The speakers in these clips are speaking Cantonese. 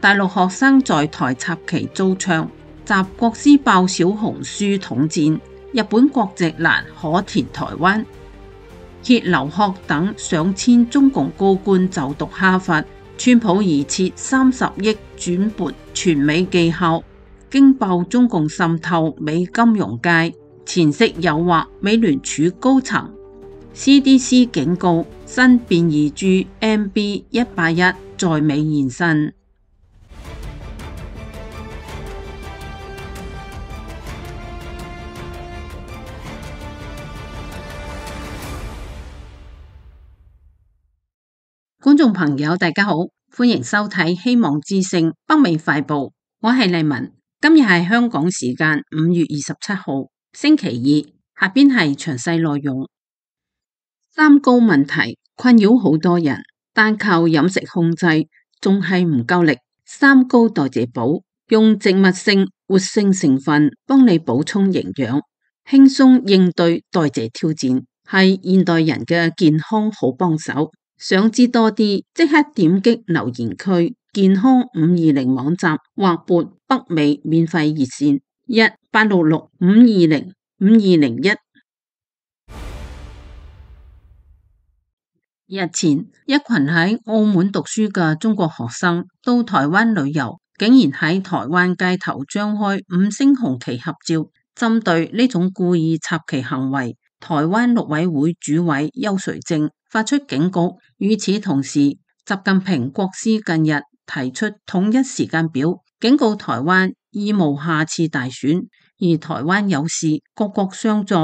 大陸學生在台插旗遭槍，習國師爆小紅書統戰，日本國籍難可填台灣。揭留學等上千中共高官就讀哈佛，川普疑設30億轉撥全美技校，驚爆中共滲透美金融界，前夕誘惑美聯儲高層。CDC 警告新變異株 MB181在美現身。觀眾朋友大家好，歡迎收睇希望之聲北美快報，我係麗文。今日係香港時間5月27號星期二，下邊係詳細內容。三高問題困擾好多人，單靠飲食控制仲係唔夠力。三高代謝寶用植物性活性成分幫你補充營養，輕鬆應對代謝挑戰，係現代人嘅健康好幫手。想知多啲，即刻點擊留言區健康520網站或撥北美免費熱線1-866-520-5201。日前，一群喺澳門讀書嘅中國學生到台灣旅遊，竟然喺台灣街頭張開5星紅旗合照。針對呢種故意插旗行為，台灣陸委會主委邱垂正發出警告。與此同時，習近平國師近日提出統一時間表，警告台灣已無下次大選，而台灣有事各國相助，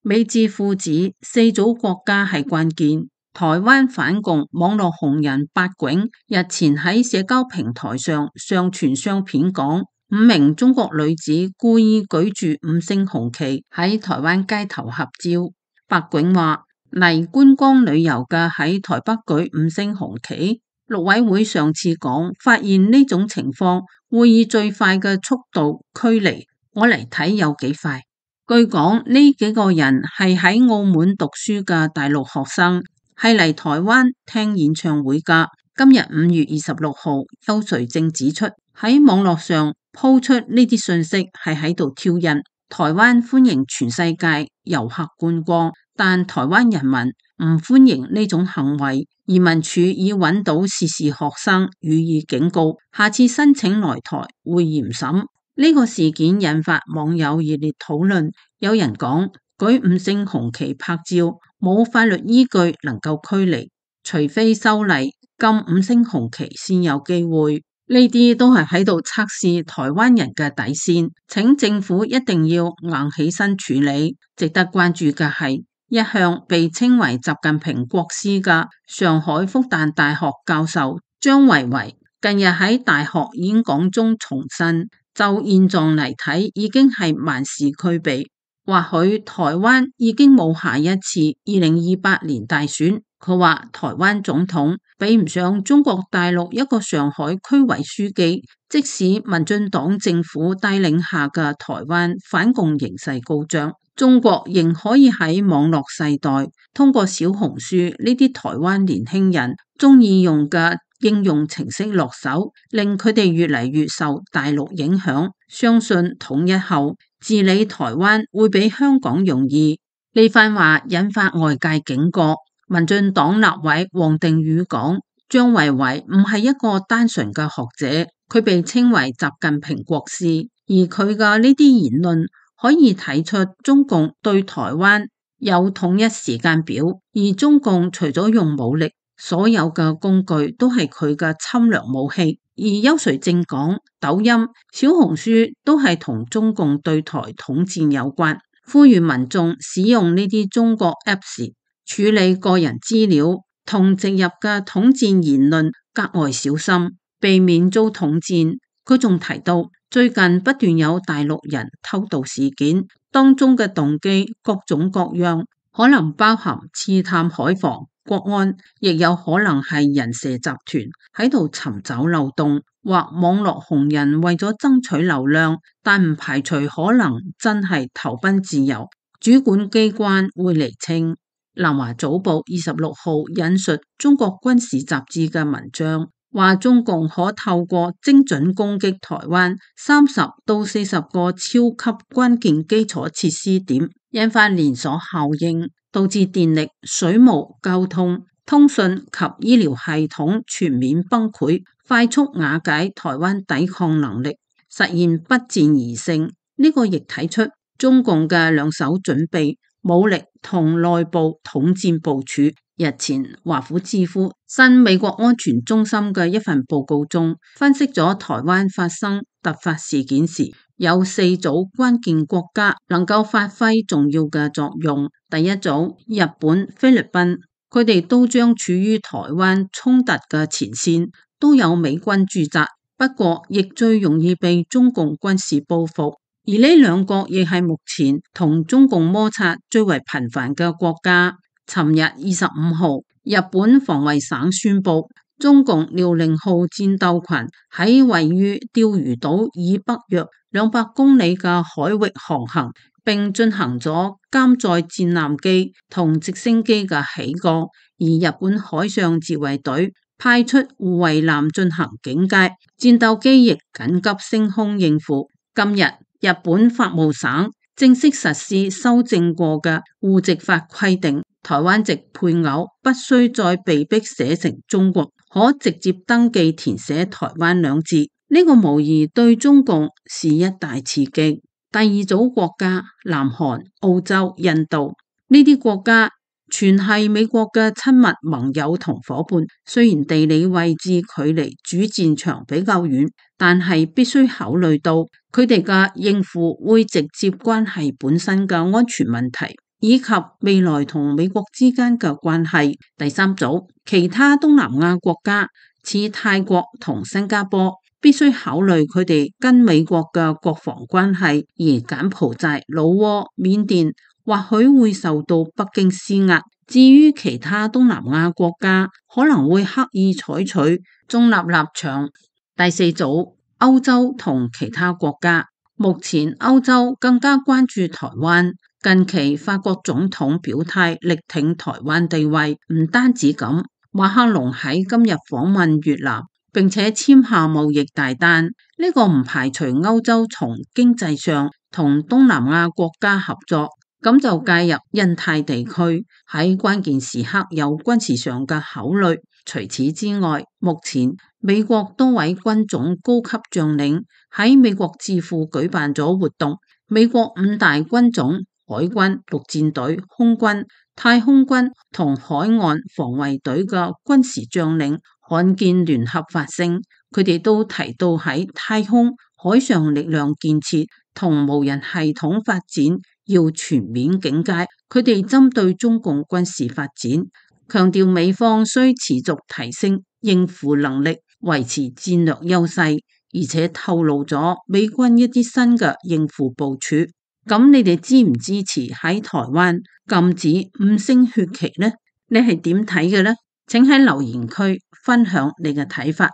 美智父子4組國家係關鍵。台灣反共網絡紅人八囧日前喺社交平台上上傳相片，講5名中國女子故意舉住5星紅旗喺台灣街頭合照。八囧話嚟觀光旅遊嘅喺台北舉5星紅旗，陸委會上次講發現呢種情況會以最快嘅速度驅離，我嚟睇有幾快。據講呢幾個人係喺澳門讀書嘅大陸學生，係嚟台灣聽演唱會噶。今日5月26號，邱垂正指出喺網絡上鋪出呢啲信息係喺度挑釁。台灣歡迎全世界遊客觀光，但台灣人民唔歡迎呢種行為。移民署已揾到涉事學生予以警告，下次申請來台會嚴審。呢個事件引發網友熱烈討論，有人講舉5星紅旗拍照冇法律依據能夠驅離，除非修例禁5星紅旗先有機會。呢啲都係喺度測試台灣人嘅底線，請政府一定要硬起身處理。值得關注嘅係，一向被稱為習近平國師嘅上海復旦大學教授張維維，近日喺大學演講中重申，就現狀嚟睇，已經係萬事俱備，或許台灣已經冇下一次2028年大選。佢話台灣總統比唔上中國大陸一個上海區委書記，即使民進黨政府帶領下嘅台灣反共形勢高漲，中國仍可以喺網絡世代通過小紅書呢啲台灣年輕人中意用嘅應用程式落手，令佢哋越嚟越受大陸影響。相信統一後治理台灣會比香港容易。呢番話引發外界警覺。民進黨立委王定宇講，張維維唔係一個單純嘅學者，佢被稱為習近平國師，而佢嘅呢啲言論可以睇出中共對台灣有統一時間表，而中共除咗用武力，所有嘅工具都係佢嘅侵略武器。而邱垂正講，抖音、小紅書都係同中共對台統戰有關，呼籲民眾使用呢啲中國 Apps處理個人資料同植入嘅統戰言論格外小心，避免遭統戰。佢仲提到，最近不斷有大陸人偷渡事件，當中嘅動機各種各樣，可能包含刺探海防、國安，亦有可能係人蛇集團喺度尋找漏洞，或網絡紅人為咗爭取流量，但唔排除可能真係投奔自由。主管機關會釐清。南華早報26號引述中國軍事雜誌嘅文章，話中共可透過精準攻擊台灣30到40個超級關鍵基礎設施點，引發連鎖效應，導致電力、水務、交通、通訊及醫療系統全面崩潰，快速瓦解台灣抵抗能力，實現不戰而勝。呢個亦睇出中共嘅兩手準備、武力同內部統戰部署。日前，華府智庫新美國安全中心嘅一份報告中，分析咗台灣發生突發事件時，有4組關鍵國家能夠發揮重要嘅作用。第一組，日本、菲律賓，佢哋都將處於台灣衝突嘅前線，都有美軍駐紮，不過亦最容易被中共軍事報復。而呢兩國亦係目前同中共摩擦最為頻繁嘅國家。尋日25號，日本防衛省宣布，中共遼寧號戰鬥群喺位於釣魚島以北約200公里嘅海域航行，並進行咗監載戰艦機同直升機嘅起降。而日本海上自衛隊派出護衛艦進行警戒，戰鬥機亦緊急升空應付。今日，日本法務省正式實施修正過嘅戶籍法規定，台灣籍配偶不需再被迫寫成中國，可直接登記填寫台灣2字。呢個無疑對中共是一大刺激。第二組國家，南韓、澳洲、印度，呢啲國家全係美國嘅親密盟友同夥伴，雖然地理位置距離主戰場比較遠，但係必須考慮到佢哋嘅應付會直接關係本身嘅安全問題，以及未來同美國之間嘅關係。第三組，其他東南亞國家，似泰國同新加坡，必須考慮佢哋跟美國嘅國防關係，而柬埔寨、老撾、緬甸或許會受到北京施壓。至於其他東南亞國家，可能會刻意採取中立立場。第四組，歐洲同其他國家，目前歐洲更加關注台灣。近期法國總統表態力挺台灣地位，唔單止咁，馬克龍喺今日訪問越南，並且簽下貿易大單。呢個唔排除歐洲從經濟上同東南亞國家合作，咁就介入印太地區，喺關鍵時刻有軍事上嘅考慮。除此之外，目前美國多位軍種高級將領喺美國智庫舉辦咗活動，美國5大軍種海軍、陸戰隊、空軍、太空軍同海岸防衛隊嘅軍事將領罕見聯合發聲，佢哋都提到喺太空、海上力量建設同無人系統發展要全面警戒，佢哋針對中共軍事發展，強調美方需持續提升應付能力，維持戰略優勢，而且透露咗美軍一啲新嘅應付部署。咁你哋支唔支持喺台灣禁止5星血旗呢？你係點睇嘅呢？請喺留言區分享你嘅睇法。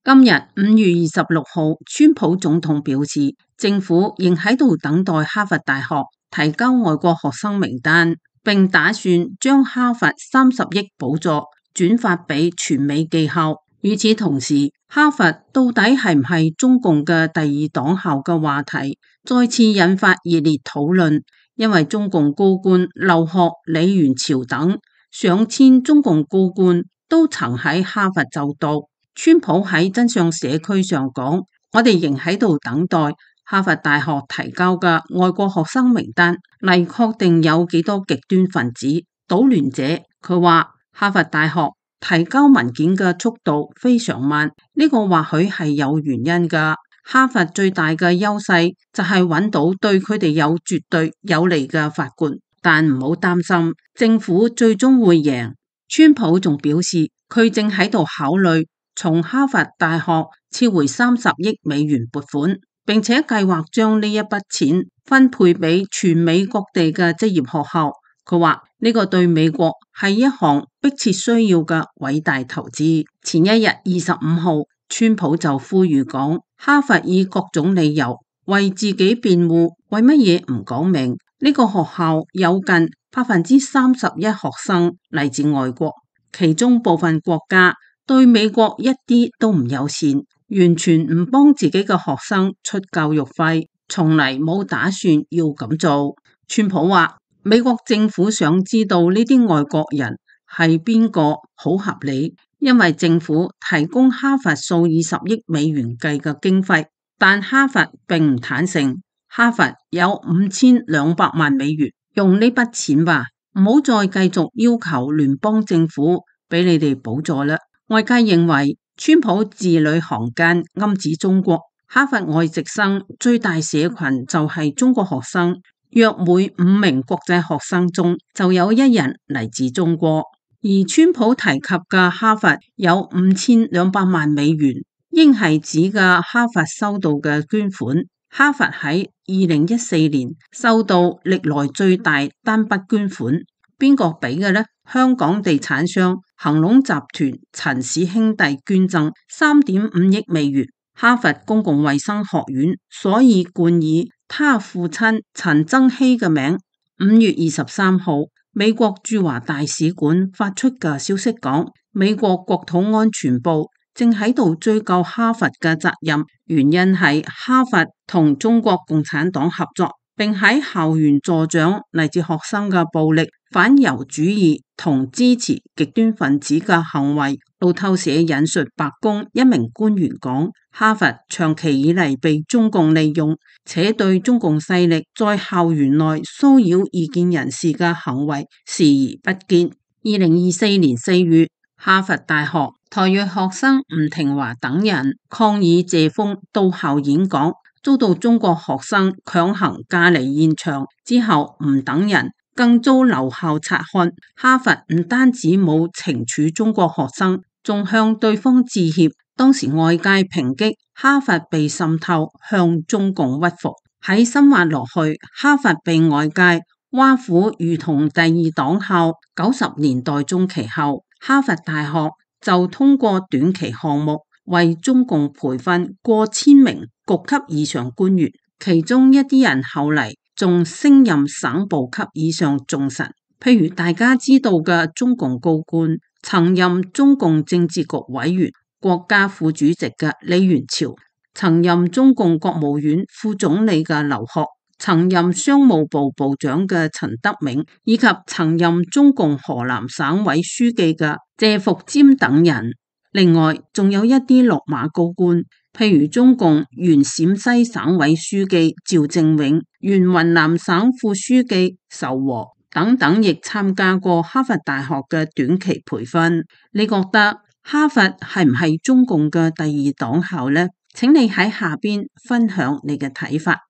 今日5月26號，川普總統表示，政府仍喺度等待哈佛大學提交外國學生名單，並打算將哈佛30億補助轉發俾全美技校。與此同時，哈佛到底係唔係中共嘅第2黨校嘅話題再次引發熱烈討論，因為中共高官劉鶴、李元朝等上千中共高官都曾喺哈佛就讀。川普喺真相社區上講，我哋仍喺度等待哈佛大學提交嘅外國學生名單嚟確定有幾多極端分子、搗亂者。佢話哈佛大學提交文件嘅速度非常慢，呢個或許係有原因噶。哈佛最大嘅優勢就係揾到對佢哋有絕對有利嘅法官，但唔好擔心，政府最終會贏。川普仲表示，佢正喺度考慮從哈佛大學撤回30億美元撥款，並且計劃將呢一筆錢分配俾全美各地嘅職業學校。佢話呢個對美國係一項迫切需要嘅偉大投資。前一日25號，川普就呼籲講，哈佛以各種理由為自己辯護，為乜嘢唔講明呢個學校有近31%學生嚟自外國？其中部分國家對美國一啲都唔友善，完全唔幫自己嘅學生出教育費，從嚟冇打算要咁做。川普話美國政府想知道呢啲外國人係邊個好合理，因為政府提供哈佛數以十億美元計嘅經費，但哈佛並唔坦誠。哈佛有5200萬美元，用呢筆錢吧，唔好再繼續要求聯邦政府俾你哋補助啦。外界認為川普字裏行間暗指中國，哈佛外籍生最大社群就係中國學生，約每5名國際學生中就有1人嚟自中國。而川普提及嘅哈佛有5200萬美元，應係指嘅哈佛收到嘅捐款。哈佛喺2014年收到歷來最大單筆捐款，邊個俾嘅呢？香港地產商恒隆集團陳氏兄弟捐贈3.5億美元。哈佛公共衛生學院所以冠以他父親陳增熙嘅名。5月23號，美國駐華大使館發出嘅消息講，美國國土安全部正喺度追究哈佛嘅責任，原因係哈佛同中國共產黨合作，並喺校園助長嚟自學生嘅暴力、反猶主義同支持極端分子嘅行為。路透社引述白宮一名官員講，哈佛長期以嚟被中共利用，且對中共勢力在校園內騷擾異見人士嘅行為視而不見。2024年4月，哈佛大學台裔學生吳廷華等人抗議謝鋒到校演講，遭到中國學生強行架離現場之後，吳等人更遭留校察看。哈佛唔單止冇懲處中國學生，仲向對方致歉。當時外界抨擊哈佛被滲透，向中共屈服。喺深挖落去，哈佛被外界挖苦如同第二黨校。90年代中期後，哈佛大學就通過短期項目為中共培訓過千名局級以上官員，其中一啲人後嚟仲升任省部級以上重臣，譬如大家知道嘅中共高官，曾任中共政治局委員、國家副主席嘅李元朝，曾任中共國務院副總理嘅劉鶴，曾任商務部部長嘅陳德銘，以及曾任中共河南省委書記嘅謝伏瞻等人。另外仲有一啲落馬高官，譬如中共原陝西省委書記趙正永、原雲南省副書記仇和等等，亦參加過哈佛大學嘅短期培訓。你覺得哈佛係唔係中共嘅第二黨校呢？請你喺下邊分享你嘅睇法。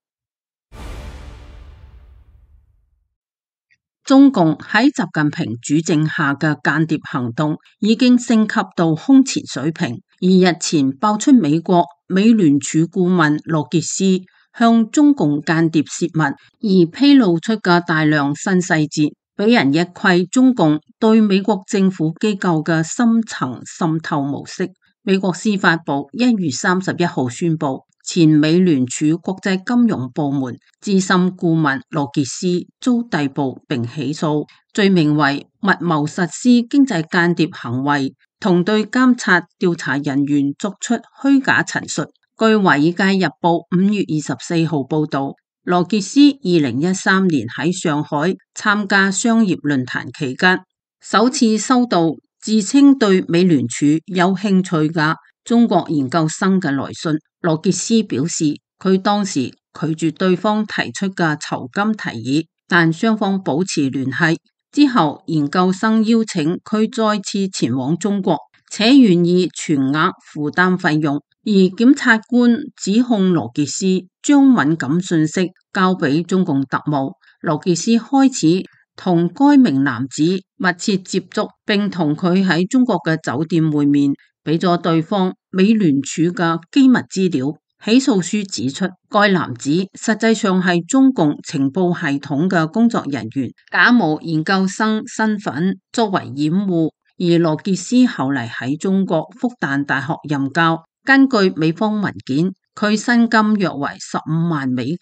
中共喺習近平主政下嘅間諜行動已經升級到空前水平，而日前爆出美國美聯儲顧問羅傑斯向中共間諜洩密，而披露出嘅大量新細節，俾人一窺中共對美國政府機構嘅深層滲透模式。美國司法部1月31號宣布，前美聯儲國際金融部門資深顧問羅傑斯遭逮捕並起訴，罪名為密謀實施經濟間諜行為同對監察調查人員作出虛假陳述。據華爾街日報5月24號報道，羅傑斯2013年喺上海參加商業論壇期間，首次收到自稱對美聯儲有興趣嘅中國研究生嘅來信。羅傑斯表示，佢當時拒絕對方提出嘅酬金提議，但雙方保持聯繫之後，研究生邀請佢再次前往中國，且願意全額負擔費用。而檢察官指控羅傑斯將敏感信息交俾中共特務。羅傑斯開始同該名男子密切接觸，並同佢喺中國嘅酒店會面，俾咗對方美聯儲嘅機密資料。起訴書指出，該男子實際上係中共情報系統嘅工作人員，假冒研究生身份作為掩護。而羅傑斯後嚟喺中國復旦大學任教。根據美方文件，佢薪金約為15萬美金，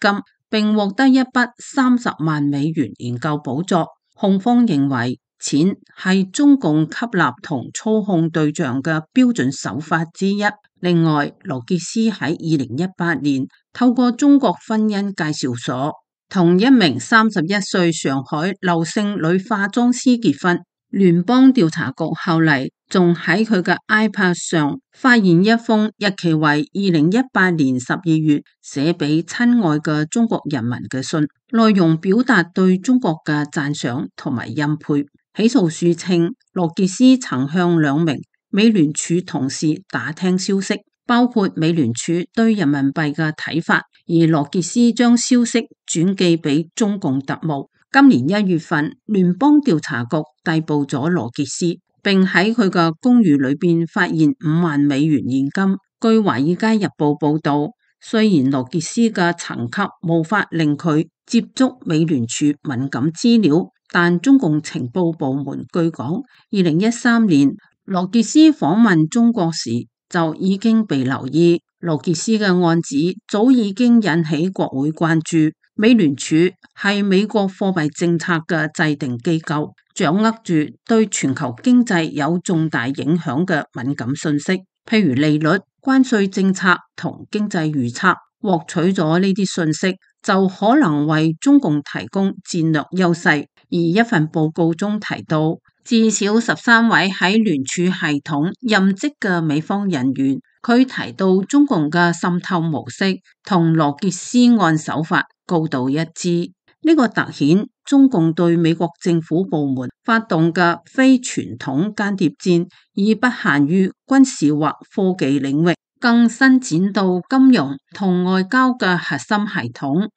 並獲得一筆30萬美元研究補助。控方認為，錢係中共吸納同操控對象嘅標準手法之一。另外，羅傑斯喺2018年透過中國婚姻介紹所同一名31歲上海劉姓女化妝師結婚。聯邦調查局後嚟仲喺佢嘅 iPad 上發現一封日期為2018年12月寫俾親愛嘅中國人民嘅信，內容表達對中國嘅讚賞同埋欽佩。起訴書稱，羅傑斯曾向2名美聯儲同事打聽消息，包括美聯儲對人民幣嘅睇法，而羅傑斯將消息轉寄俾中共特務。今年1月份，聯邦調查局逮捕咗羅傑斯，並喺佢嘅公寓裏邊發現5萬美元現金。據《華爾街日報》報道，雖然羅傑斯嘅層級無法令佢接觸美聯儲敏感資料，但中共情報部門據講，2013年羅傑斯訪問中國時就已經被留意。羅傑斯嘅案子早已經引起國會關注。美聯儲係美國貨幣政策嘅制定機構，掌握住對全球經濟有重大影響嘅敏感信息，譬如利率、關稅政策同經濟預測。獲取咗呢啲信息，就可能為中共提供戰略優勢。而一份報告中提到，至少13位喺聯儲系統任職嘅美方人員，佢提到中共嘅滲透模式同羅傑斯案手法高度一致。呢個凸顯中共對美國政府部門發動嘅非傳統間諜戰，已不限於軍事或科技領域，更伸展到金融同外交嘅核心系統。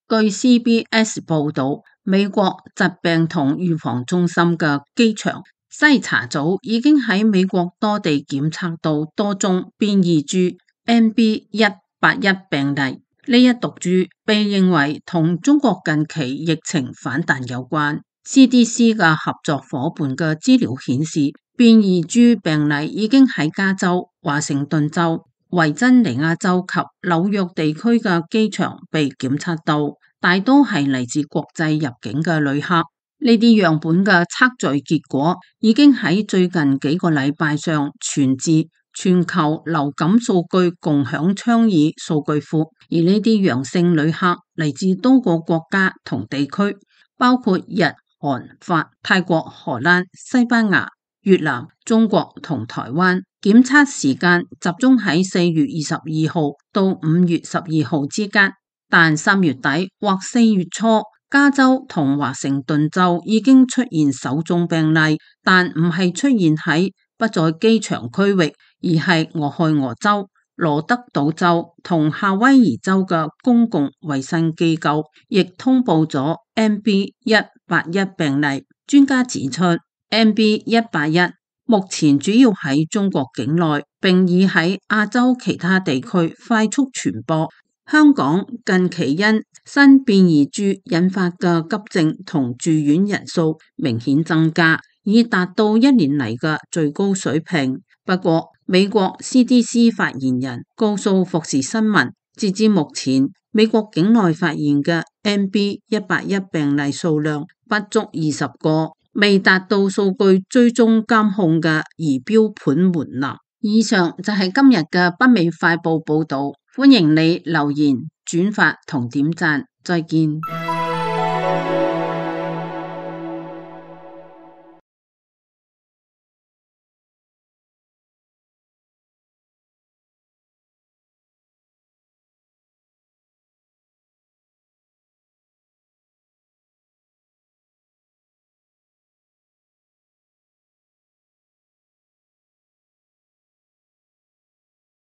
據 CBS 報道，美國疾病同預防中心嘅機場篩查組已經喺美國多地檢測到多宗變異株 NB181 病例。呢一毒株被認為同中國近期疫情反彈有關。CDC 嘅合作夥伴嘅資料顯示，變異株病例已經喺加州、華盛頓州、維珍尼亞州及紐約地區嘅機場被檢測到，大多係嚟自國際入境嘅旅客。呢啲樣本嘅測序結果已經喺最近幾個禮拜上傳至全球流感數據共享倡議數據庫，而呢啲陽性旅客嚟自多個國家同地區，包括日、韓、法、泰國、荷蘭、西班牙、越南、中國同台灣。檢測時間集中喺4月22號到5月12號之間，但3月底或4月初，加州同華盛頓州已經出現首宗病例，但唔係出現喺不在機場區域，而係俄亥俄州、羅德島州同夏威夷州嘅公共衛生機構亦通報咗 NB181 病例。專家指出， NB181 目前主要喺中國境內，並已喺亞洲其他地區快速傳播。香港近期因新變異株引發嘅急症同住院人數明顯增加，已達到1年嚟嘅最高水平。不過，美國 CDC 發言人告訴福士新聞，截至目前，美國境內發現嘅 NB181 病例數量不足20個，未達到數據追蹤監控嘅儀表盤門檻。以上就係今日嘅北美快報報道，歡迎你留言、轉發同點讚，再見。